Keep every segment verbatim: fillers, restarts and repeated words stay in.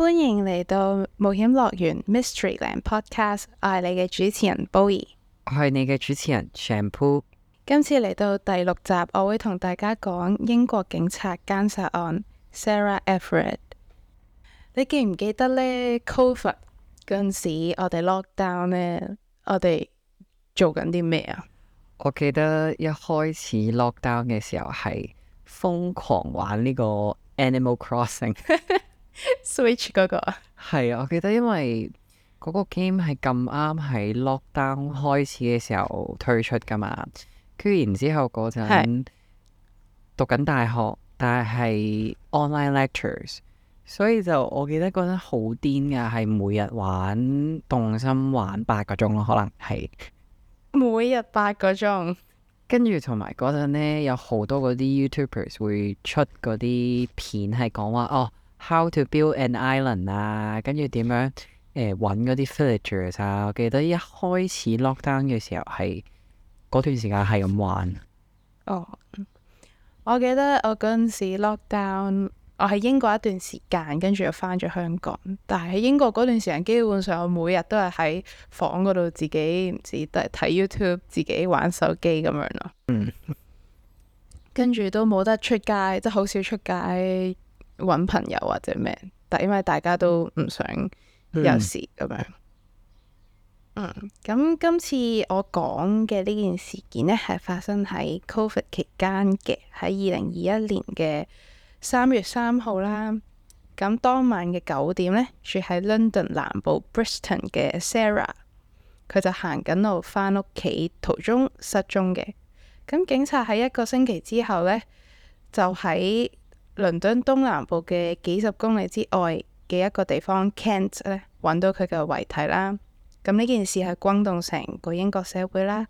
歡迎嚟到冒險樂園 Mysteryland Podcast，我係你嘅主持人 Bowie，我係你嘅主持人 Shampoo。今次嚟到第六集，我會同大家講英國警察姦殺案 Sarah Everard。你記唔記得呢 Covid 嗰陣時，我哋 lockdown 呢，我哋做緊啲咩啊？我記得一開始 lockdown 嘅時候係瘋狂玩呢個 Animal Crossing Switch 嗰個啊？係啊，我記得因為嗰個 game 係咁啱喺 lockdown 開始嘅時候推出噶嘛，跟住然之後嗰陣讀緊大學，但係係 online lectures，所以就我記得嗰陣好癲噶，係每日玩動心玩八個鐘咯，可能係。每日八個鐘，跟住同埋嗰陣呢，有好多嗰啲 YouTubers 會出嗰啲片，係講話哦 ，how to build an island 啊，跟住點樣誒揾嗰啲 villagers 啊。我記得一開始 lockdown 嘅時候係嗰段時間係咁玩。哦，我記得我嗰陣時 lockdown。我喺英國一段時間，跟住又返咗香港。但係喺英國嗰段時間，基本上我每日都係喺房嗰度自己唔知都係睇 YouTube，自己玩手機咁樣咯。嗯，跟住都冇得出街，即係好少出街揾朋友或者咩。但因為大家都唔想有事咁樣。嗯，咁今次我講嘅呢件事件呢，係發生喺 Covid 期間嘅，喺二零二一年嘅三月三號啦，咁當晚嘅九點呢，住喺 London 南部 Brixton 嘅 Sarah， 佢就行緊路返屋企途中失蹤嘅。咁警察喺一個星期之後呢，就喺倫敦東南部嘅幾十公里之外嘅一個地方 Kent 呢，揾到佢嘅遺體啦。咁呢件事係轟動成個英國社會啦，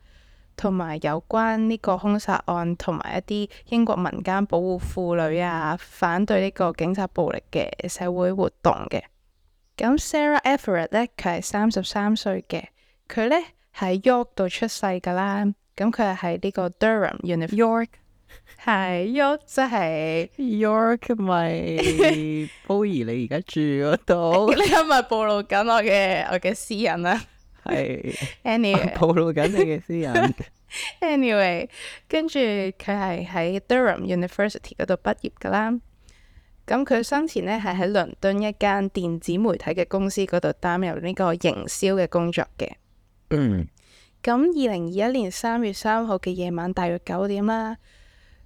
同埋有關呢個兇殺案同埋一啲英國民間保護婦女啊，反對呢個警察暴力嘅社會活動嘅。咁 Sarah Everard 呢，佢係三十三歲嘅，佢呢喺 York 度出世噶啦。咁佢係喺呢個 Durham University York， 係 York 即係 York 咪 Bowie 你而家住嗰度？你係咪暴露緊我嘅我嘅私隱啊？係 Anyway，暴露緊你嘅私隱。Anyway，跟住佢係喺 Durham University 嗰度畢業噶啦。咁佢生前呢係喺倫敦一間電子媒體嘅公司嗰度擔任呢個營銷嘅工作嘅。嗯。咁二零二一年三月三號嘅夜晚大約九點啦，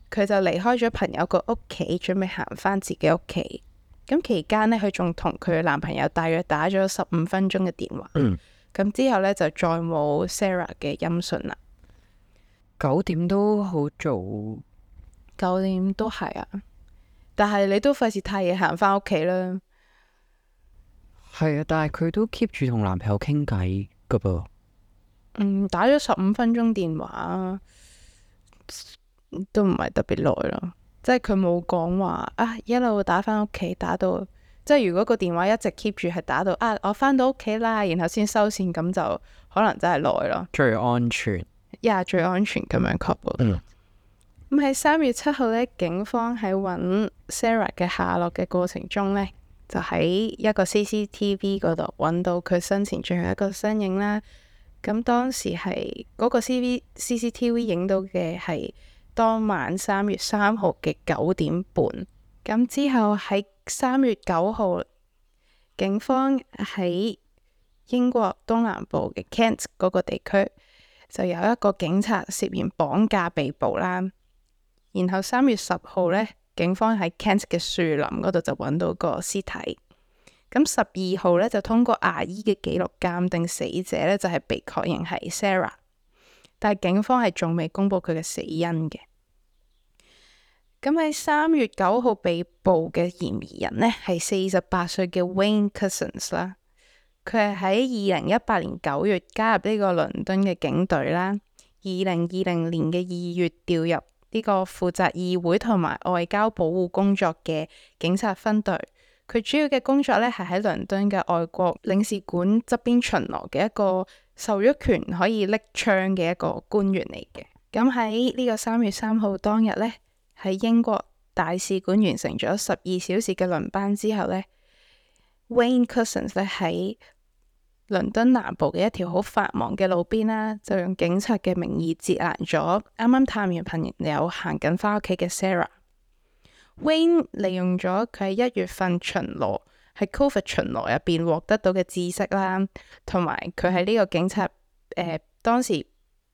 佢就離開咗朋友個屋企，準備行返自己屋企。咁期間呢，佢仲同佢嘅男朋友大約打咗十五分鐘嘅電話。嗯。咁之後呢，就再冇 Sarah 嘅音訊啦。九點都好早，九點都係啊，但係你都費事太夜行返屋企啦。係啊，但係佢都 keep 住同男朋友傾偈噶噃。嗯，打咗十五分鐘電話都唔係特別耐咯，即係佢冇講話啊一路打返屋企，打到即係如果個電話一直 keep 住係打到啊我返到屋企啦，然後先收線，咁就可能真係耐咯。最安全，呀、yeah, 最安全咁樣確保。嗯。咁喺三月七號呢，警方喺揾 Sarah 嘅下落嘅過程中呢，就喺一個 C C T V 嗰度揾到佢生前最後一個身影啦。咁當時係嗰個 C V C C T V 影到嘅係當晚三月三號嘅九點半。咁之後喺三月九號，警方喺英國東南部嘅 Kent 嗰個地區就有一個警察涉嫌綁架被捕啦。然後三月十號呢，警方喺 Kent 嘅樹林嗰度就揾到個屍體。咁十二號呢，就通過牙醫嘅記錄鑑定死者呢，就係被確認係 Sarah， 但係警方係仲未公布佢嘅死因嘅。咁喺三月九號被捕嘅嫌疑人呢，係四十八歲嘅 Wayne Couzens 啦。佢係喺二零一八年九月加入呢個倫敦嘅警隊啦。二零二零年嘅二月調入呢個負責議會同埋外交保護工作嘅警察分隊。佢主要嘅工作呢，係喺倫敦嘅外國領事館側邊巡邏嘅一個授予權可以拎槍嘅一個官員嚟嘅。咁喺呢個三月三號當日呢，喺英國大使館完成咗十二小時嘅輪班之後呢， Wayne Couzens 咧喺倫敦南部嘅一條好繁忙嘅路邊啦，就用警察嘅名義截攔咗啱啱探完朋友行緊返屋企嘅 Sarah。Wayne 利用咗佢喺一月份巡邏喺 Covid 巡邏入邊獲得到嘅知識啦，同埋佢喺呢個警察誒、呃、當時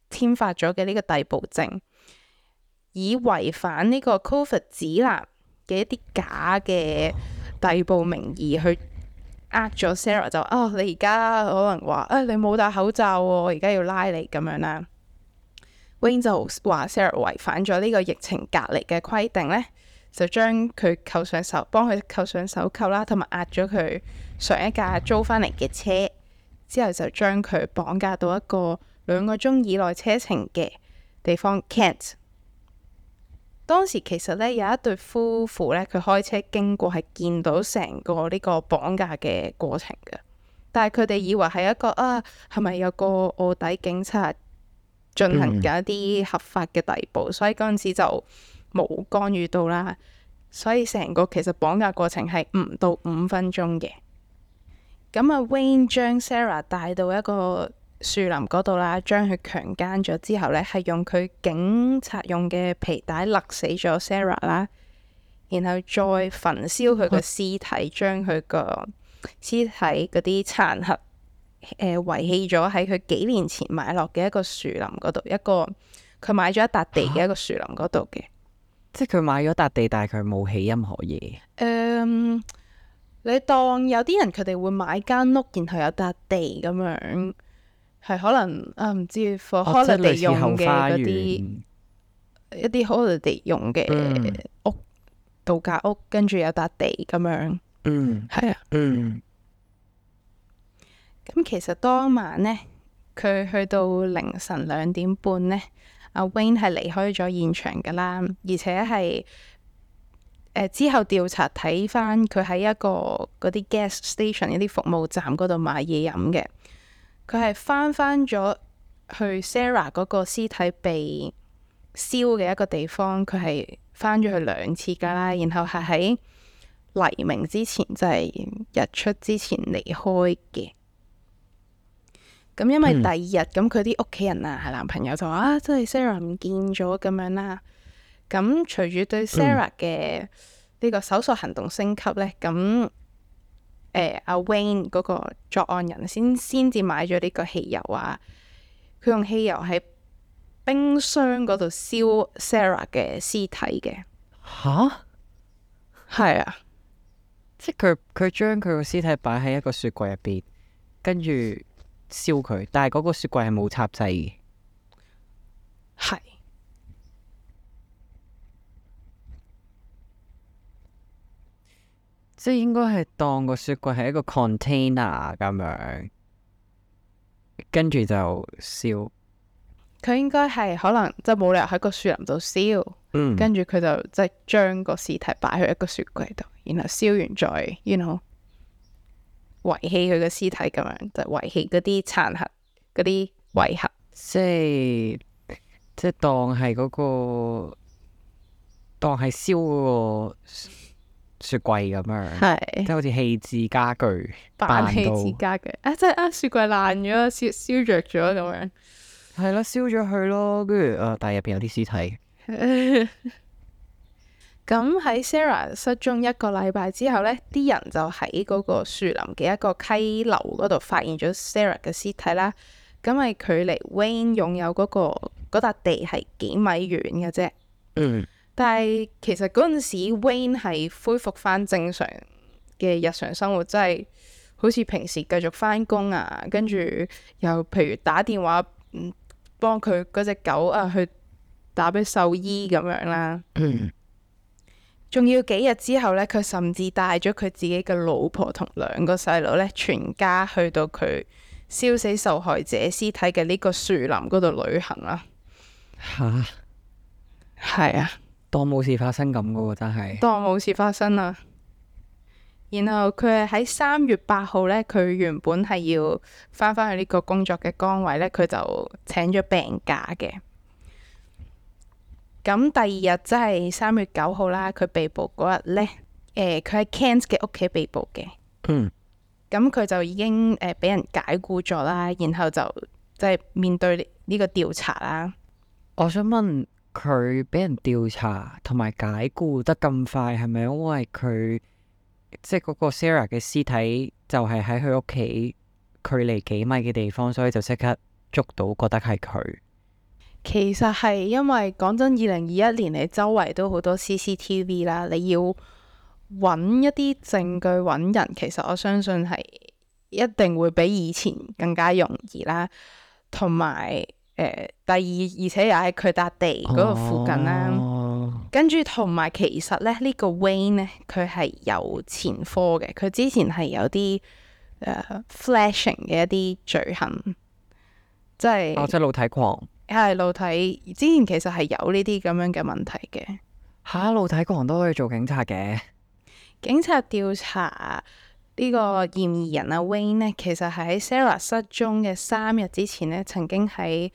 簽發咗嘅呢個逮捕證，以違反呢個 Covid 指南嘅一啲假嘅逮捕名義去呃咗 Sarah， 就哦你而家可能話誒、哎、你冇戴口罩喎，我而家要拉你咁樣啦。Wayne 就話 Sarah 違反咗呢個疫情隔離嘅規定呢，就將佢扣上手，幫佢扣上手扣啦，同埋壓咗佢上一架租翻嚟嘅車，之後就將佢綁架到一個兩個鐘以內車程嘅地方 Kent。當時其實咧有一對夫婦咧，佢開車經過係見到成個呢個綁架嘅過程嘅，但係佢哋以為係一個啊，係咪有個臥底警察進行緊一啲合法嘅逮捕，嗯、所以嗰陣時就冇干預到啦。所以成個其實綁架過程係唔到五分鐘嘅。咁啊 Wayne 將 Sarah 帶到一個樹林嗰度啦，將佢強姦咗之後呢，係用佢警察用嘅皮帶勒死咗 Sarah 啦，然後再焚燒佢個屍體，將佢個屍體嗰啲殘骸誒遺棄咗喺佢幾年前買落嘅一個樹林嗰度，一個佢買咗一笪地嘅一個樹林嗰度嘅。即係佢買咗笪地，但係佢冇起任何嘢。誒、嗯，你當有啲人佢哋會買間屋，然後有笪地咁樣。係可能啊，唔知 for holiday 用嘅嗰啲一啲 holiday 用嘅屋、嗯、度假屋，跟住有笪地咁樣。嗯，係啊。嗯。咁其實當晚呢，佢去到凌晨兩點半呢，阿 Wayne 係離開咗現場噶啦，而且係誒、呃、之後調查睇翻佢喺一個嗰啲 gas station 一啲服務站嗰度買嘢飲嘅。佢係翻翻咗去 Sarah 嗰個屍體被燒嘅一個地方，佢係翻咗去兩次噶啦，然後係喺黎明之前，就係、是、日出之前離開嘅。咁因為第二日咁，佢啲屋企人啊，係男朋友就話啊，真係 Sarah 唔見咗咁樣啦。咁隨住對 Sarah 嘅呢個搜索行動升級呢，咁、嗯。誒阿、呃、Wayne 嗰個作案人先先至買咗呢個汽油啊，佢用汽油喺冰箱嗰度燒 Sarah 嘅屍體嘅。吓？係啊，即係佢佢將佢個屍體擺喺一個雪櫃入邊，跟住燒佢，但係嗰個雪櫃係冇插掣嘅。係。即係應該係當個雪櫃係一個 container 咁樣，跟住就燒。佢應該係可能即係冇理由喺個樹林度燒，嗯、跟住佢就即係將個屍體擺去一個雪櫃度，然後燒完再，you know，遺棄佢嘅屍體咁樣，就遺棄嗰啲殘骸、嗰啲遺骸。即係即係當係嗰、嗰個，當係燒嗰個雪櫃咁樣，係即係好似棄置家具，扮棄置家具啊！即係啊，雪櫃爛咗，燒燒着咗咁樣，係咯，燒咗佢咯，跟住誒，但係入邊有啲屍體。咁喺 Sarah 失蹤一個禮拜之後呢，啲人就喺嗰個樹林嘅一個溪流嗰度發現咗 Sarah 嘅屍體啦。咁係距離 Wayne 擁有嗰、嗰個嗰笪地係幾米遠嘅啫。嗯。但係其實嗰陣時 Wayne 係恢復翻正常嘅日常生活，即係好似平時繼續翻工啊，跟住又譬如打電話嗯幫佢嗰隻狗啊去打俾獸醫咁樣啦。仲、嗯、要幾日之後呢，佢甚至帶咗佢自己嘅老婆同兩個細佬呢，全家去到佢燒死受害者屍體嘅呢個樹林嗰度旅行啦。吓？係啊。當冇事發生咁噶喎，真係當冇事發生啦。然後佢係喺三月八號呢，佢原本係要翻返去呢個工作嘅崗位呢，佢就請咗病假嘅。咁第二日即係三月九號啦，佢被捕嗰日呢，誒、呃，佢喺 Kent 嘅屋企被捕嘅。嗯。咁佢就已經誒俾、呃、人解僱咗啦，然後就即係面對呢個調查啦。我想問佢俾人調查同埋解僱得咁快，係咪因為佢即係嗰個 Sarah 嘅屍體就係喺佢屋企距離幾米嘅地方，所以就即刻捉到，覺得係佢？其實係因為講真，二零二一年你周圍都好多 C C T V 啦，你要揾一啲證據揾人，其實我相信係一定會比以前更加容易啦。同埋誒，第二而且又喺佢笪地嗰度附近啦。哦、跟住同埋其實咧，呢、呢個 Wayne 呢，佢係有前科嘅，佢之前係有啲誒、呃、flashing 嘅一啲罪行，即係哦，即係露體狂。係露體，之前其實係有呢啲咁樣嘅問題嘅。吓，露體狂都可以做警察嘅？警察調查呢個嫌疑人阿 Wayne 呢，其實係喺 Sarah 失蹤嘅三日之前呢，曾經喺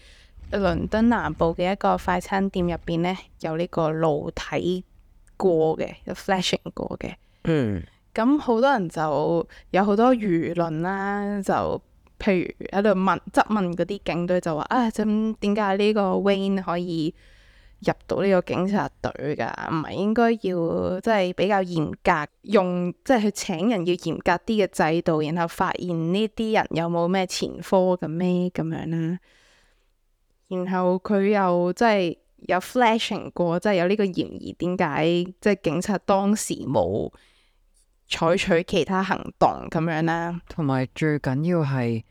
倫敦南部嘅一個快餐店入邊呢，有呢個露體過嘅，有 flashing 過嘅。嗯。咁好多人就有好多輿論啦，就譬如喺度問質問嗰啲警隊，就話啊，咁點解呢個 Wayne 可以入到呢個警察隊㗎？唔係應該要即係比較嚴格用，即係去請人要嚴格啲嘅制度，然後發現呢啲人有冇咩前科嘅咩咁樣啦？然後佢又即係有 flashing 過，即係有呢個嫌疑，點解即係警察當時冇採取其他行動咁樣啦？同埋最緊要係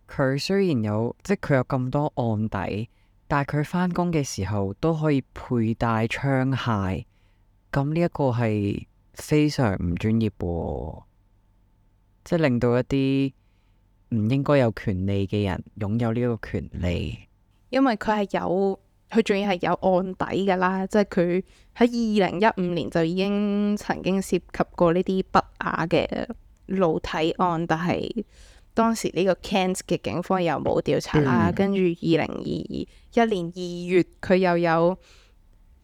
佢雖然有即係佢有咁多案底，但係佢返工嘅時候都可以佩戴槍械，咁呢一個係非常唔專業喎，即係令到一啲唔應該有權利嘅人擁有呢個權利。因為佢係有，佢仲要係有案底噶啦，即係佢喺二零一五年就已經曾經涉及過呢啲不雅嘅露體案，但係當時呢個 Kent 嘅警方又冇調查啦。跟住二零二一年二月，佢又有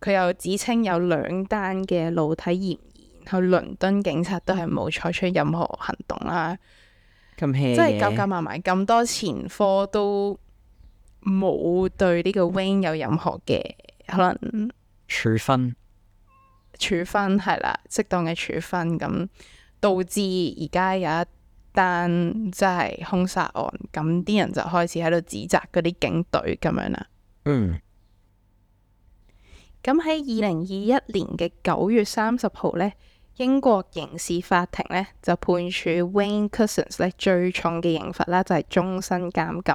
佢又指稱有兩單嘅露體嫌疑，然後倫敦警察都係冇採取任何行動啦。咁 hea 嘅，即係夾夾埋埋咁多前科都冇對呢個 Wayne 有任何嘅可能處分，處分係啦，適當嘅處分，咁導致而家有一單即係兇殺案，咁啲人就開始喺度指責嗰啲警隊咁樣啦。嗯。咁喺二零二一年嘅九月三十號呢，英國刑事法庭呢就判處 Wayne Couzens 呢最重嘅刑罰啦，就係終身監禁。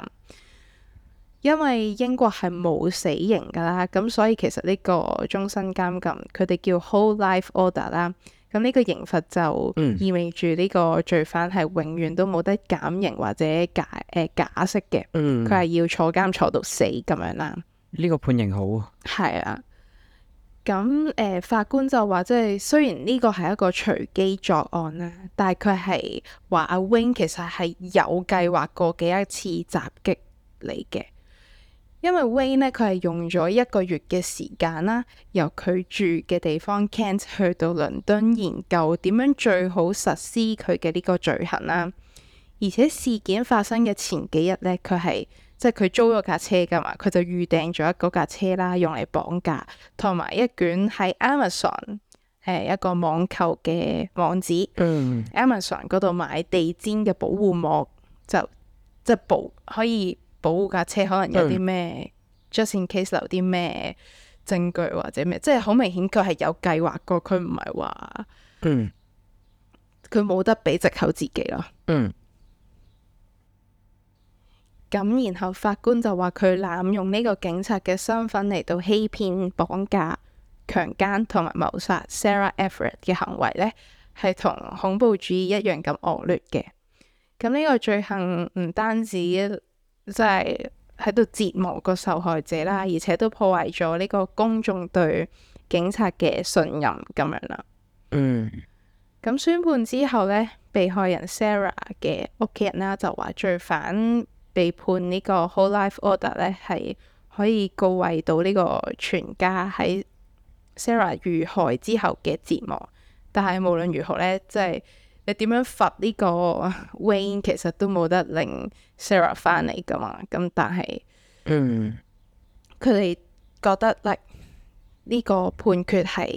因為英國係冇死刑噶啦，咁所以其實呢個終身監禁，佢哋叫 Whole Life Order 啦。咁呢個刑罰就意味住呢個罪犯係永遠都冇得減刑或者假誒、呃、假釋嘅。佢係、嗯、要坐監坐到死咁樣啦。呢個判刑好。係啊。咁誒、呃、法官就話，即係雖然呢個係一個隨機作案啦，但係佢係話阿 Wayne 其實係有計劃過嘅一次襲擊嚟嘅。因為 Wayne 呢，佢係用咗一個月嘅時間啦，由佢住嘅地方 Kent 去到倫敦研究點樣最好實施佢嘅呢個罪行啦。而且事件發生嘅前幾日呢，佢係即係佢租咗架車噶嘛，佢就預訂咗嗰架車啦，用嚟綁架，同埋一卷喺 Amazon 誒一個網購嘅網址、嗯、Amazon 嗰度買地氈嘅保護膜，就即係保可以保護架車，可能有啲咩、嗯、just in case 留啲咩證據或者咩，即係好明顯佢係有計劃過，佢唔係話嗯佢冇得俾藉口自己咯。嗯。咁然後法官就話佢濫用呢個警察嘅身份嚟到欺騙、綁架、強姦同埋謀殺 Sarah Everard 嘅行為呢，係同恐怖主義一樣咁惡劣嘅。咁呢個罪行唔單止即係喺度折磨個受害者啦，而且都破壞咗呢個公眾對警察嘅信任咁樣啦。嗯。咁宣判之後呢，被害人 Sarah 嘅屋企人啦就話罪犯被判呢個 Whole Life Order 呢，係可以告慰到呢個全家喺 Sarah 遇害之後嘅折磨。但係無論如何呢，即係你點樣罰呢個 Wayne 其實都冇得令 Sarah 翻嚟噶嘛。咁但係嗯，佢哋覺得 like 呢個判決係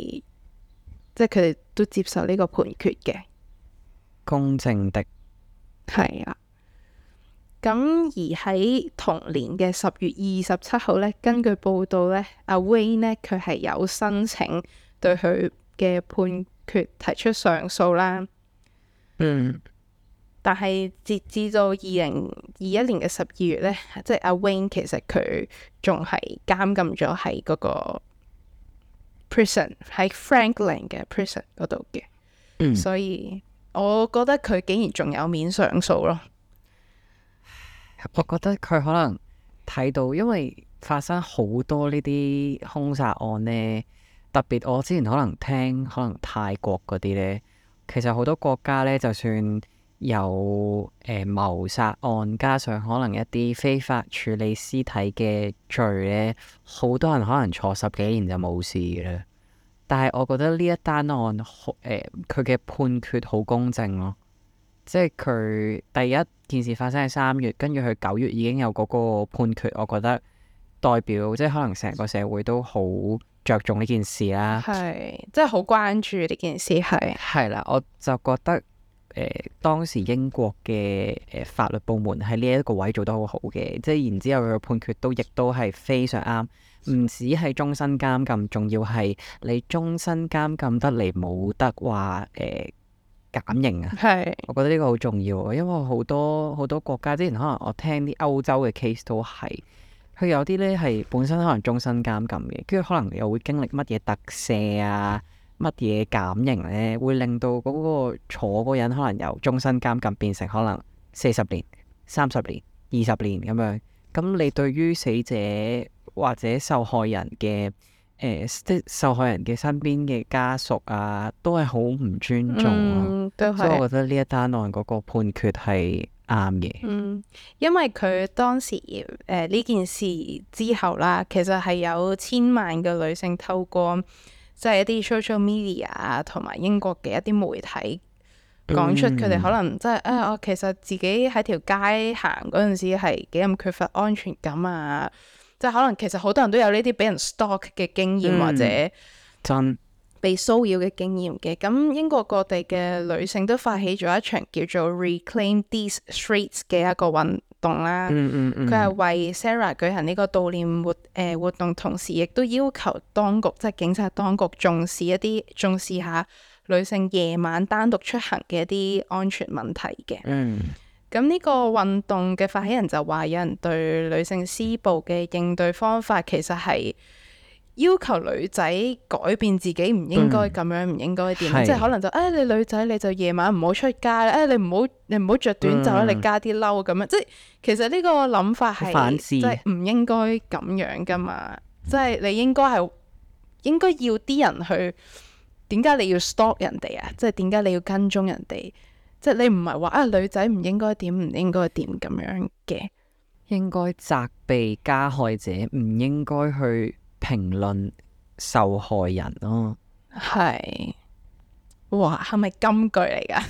即係佢哋都接受呢個判決嘅，公正的。係啊。咁而喺同年嘅十月二十七號咧，根據報道咧，阿 Wayne 咧佢係有申請對佢嘅判決提出上訴啦。嗯，但係截至到二零二一年嘅十二月咧，即係阿 Wayne 其實佢仲係監禁咗喺嗰個 prison 喺 Franklin 嘅 prison 嗰度嘅。嗯，所以我覺得佢竟然仲有面上訴咯。我覺得佢可能睇到，因為發生好多呢啲兇殺案呢，特別我之前可能聽可能泰國嗰啲呢，其實好多國家呢，就算有誒、呃、謀殺案，加上可能一啲非法處理屍體嘅罪呢，好多人可能坐十幾年就冇事嘅啦。但係我覺得呢一單案，誒佢嘅判決好公正咯。即係佢第一件事發生喺三月，跟住佢九月已經有嗰個判決，我覺得代表即係可能成個社會都好着重呢件事啦。係，即係好關注呢件事係。係啦，我就覺得誒、呃、當時英國嘅誒、呃、法律部門喺呢一個位做得好好嘅，即係然之後佢嘅判決都亦都係非常啱，唔止係終身監禁，仲要係你終身監禁得嚟冇得話誒。呃減刑啊，係，我覺得呢個好重要啊，因為好多好多國家之前可能我聽啲歐洲嘅 case 都係，佢有啲呢係本身可能終身監禁嘅，跟住可能又會經歷乜嘢特赦啊，乜嘢減刑呢，會令到嗰個坐嗰人可能由終身監禁變成可能四十年、三十年、二十年咁樣，咁你對於死者或者受害人嘅誒，即係受害人嘅身邊嘅家屬啊，都係好唔尊重咯。嗯，都係。所以我覺得呢一單案嗰個判決係啱嘅。嗯，因為佢當時誒呢、呃、件事之後啦，其實係有千萬嘅女性透過即係一啲 social media 啊，同埋英國嘅一啲媒體講出佢哋可能即係啊，我其實自己喺條街行嗰陣時係幾咁缺乏安全感啊。即係可能其實好多人都有呢啲俾人 stalk 嘅經驗，嗯、或者真被騷擾嘅經驗嘅。咁英國各地嘅女性都發起咗一場叫做 Reclaim These Streets 嘅一個運動啦。嗯嗯佢係為 Sarah 舉行呢個悼念活誒、呃、活動，同時亦都要求當局即係警察當局重視一啲重視下女性夜晚單獨出行嘅一啲安全問題嘅。嗯。咁呢個運動嘅發起人就話，有人對女性施暴嘅應對方法，其實係要求女仔改變自己，唔應該咁樣，唔、嗯、應該點，即係可能就誒、哎、你女仔你就夜晚唔好出街啦，誒、哎、你唔好你唔好着短袖啦，嗯、你加啲褸咁樣，即係其實呢個諗法係即係唔應該咁樣噶嘛，即係你應該係應該要啲人去，點解你要 stalk 人哋啊？即係點解你要跟蹤人哋？即係你唔係話啊女仔唔應該點唔應該點咁樣嘅，應該責備加害者，唔應該去評論受害人咯。係，哇，係咪金句嚟㗎？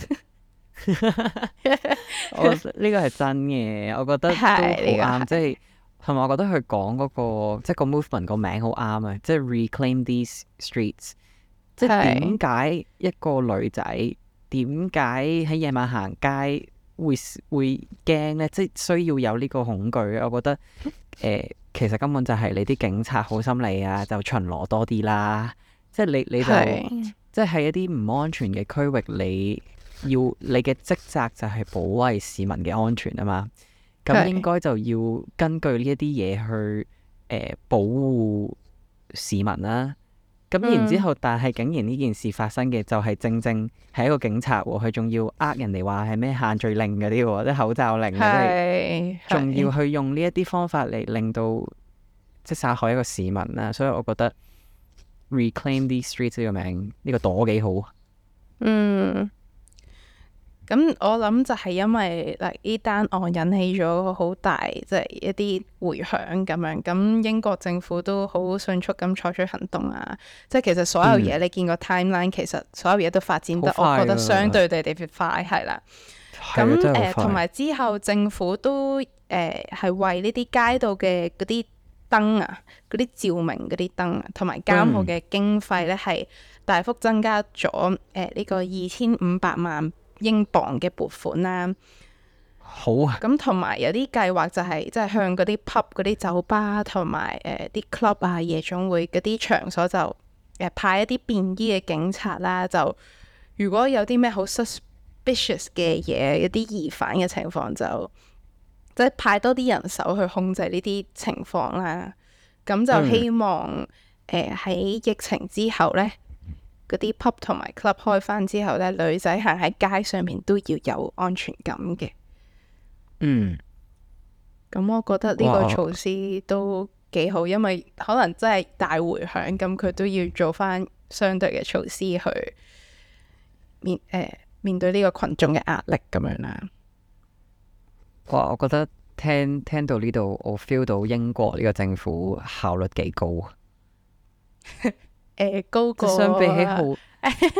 我呢個係真嘅，我覺得都好啱。即係同埋，我覺得佢講嗰個即係個 movement 個名好啱啊！即係 Reclaim These Streets，即係點解一個女仔？點解喺夜晚行街會會驚呢？即係需要有呢個恐懼。我覺得誒、呃，其實根本就係你啲警察好心理啊，就巡邏多啲啦。即係你你就是即係喺一啲唔安全嘅區域，你要你嘅職責就係保衞市民嘅安全啊嘛。咁應該就要根據呢一啲嘢去誒、呃、保護市民啦。咁然之後，嗯、但係竟然呢件事發生嘅就係正正係一個警察喎，佢仲要呃人哋話係咩限聚令嗰啲喎，即係口罩令嗰啲，仲要去用呢一啲方法嚟令到即係殺害一個市民啦。所以我覺得 Reclaim These Streets 呢個名呢、呢個朵幾好。嗯，咁我諗就係因為嗱呢單案引起咗好大即係、就是、一啲迴響咁樣，咁英國政府都好迅速咁採取行動啊！即係其實所有嘢、嗯、你見個 timeline，其實所有嘢都發展得我覺得相對地特別快，係啦。咁誒同埋之後政府都誒係、呃、為呢啲街道嘅嗰啲燈啊、嗰啲照明嗰啲燈啊，同埋監控嘅經費咧係大幅增加咗誒呢個二千五百萬英鎊嘅撥款啦。好啊。咁同埋有啲計劃就係即係向嗰啲 pub 嗰啲酒吧同埋誒啲 club 啊、夜總會嗰啲場所就誒、呃、派一啲便衣嘅警察啦。就如果有啲咩好 suspicious 嘅嘢、一啲疑犯嘅情況，就即係派多啲人手去控制呢啲情況啦。咁就希望誒喺、呃、疫情之後呢，嗰啲 pub 同埋 club 開翻之後呢，女仔行喺街上面都要有安全感嘅。嗯。咁我覺得呢個措施都幾好，因為可能真係大迴響，咁佢都要做翻相對嘅措施去面誒、呃、面對呢個群眾嘅壓力咁樣啦。哇！我覺得聽聽到呢度，我 feel 到英國呢個政府效率幾高。誒、呃，高過相比起好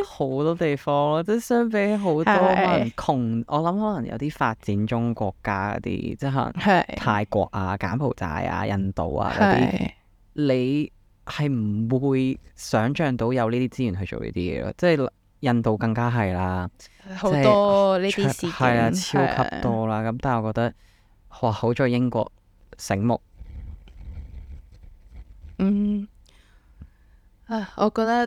好多地方咯，即係相比起好多可能窮，我諗可能有啲發展中國家嗰啲，即係可能泰國啊、柬埔寨啊、印度啊嗰啲，你係唔會想像到有呢啲資源去做呢啲嘢咯。即係印度更加係啦，好多呢啲事件係啊，超級多啦。咁但係我覺得，哇！好在英國醒目。嗯。啊，我覺得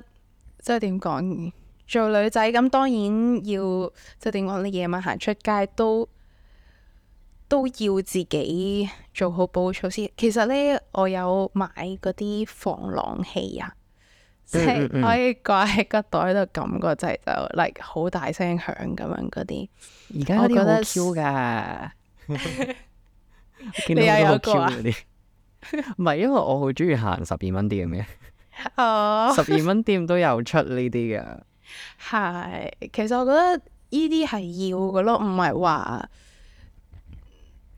即係點講，做女仔咁當然要即係點講，你夜晚行出街都都要自己做好保護措施。其實呢，我有買嗰啲防狼器啊，即係可以掛喺個袋度撳個掣就 like 好大聲響咁樣嗰啲。而家嗰啲好 Q 噶，你又有個啊？唔係，因為我好中意行十二蚊店嘅。哦，十二蚊店都有出呢啲噶。係，其實我覺得呢啲係要嘅咯，唔係話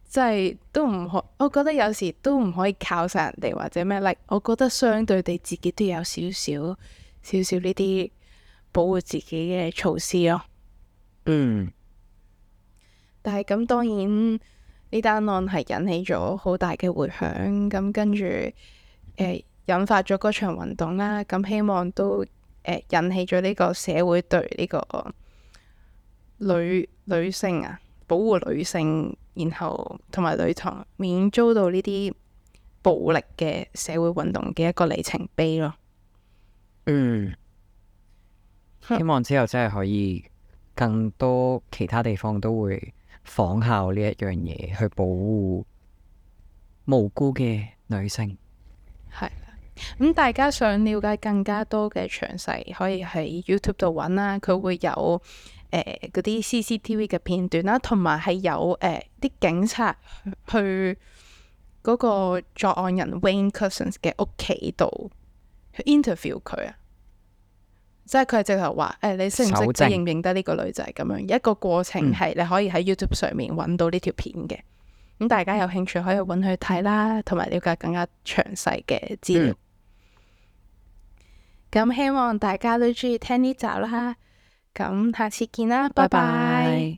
即係都唔可。我覺得有時都唔可以靠晒人哋或者咩。like 我覺得相對地自己都有少少少少呢啲保護自己嘅措施咯。嗯。但係咁當然呢單案係引起咗好大嘅迴響，咁跟住誒。呃引發咗嗰場運動啦，咁希望都誒、呃、引起咗呢個社會對呢個女女性啊，保護女性，然後同埋女童免遭到呢啲暴力嘅社會運動嘅一個里程碑咯。嗯，希望之後真係可以更多其他地方都會仿效呢一樣嘢去保護無辜嘅女性。係。咁大家想了解更加多嘅詳細，可以喺 YouTube 度揾啦。佢會有誒嗰啲 C C T V 嘅片段啦，同埋係有誒啲、呃、警察去嗰個作案人 Wayne Couzens 嘅屋企度去 interview 佢啊。即係佢係直頭話誒，你識唔識即係認唔認得呢個女仔咁樣一個過程，係你可以喺 YouTube 上面揾到呢條片嘅。咁、嗯、大家有興趣可以揾佢睇啦，同埋了解更加詳細嘅資料。嗯咁希望大家都中意聽呢集啦，咁下次見啦，拜拜。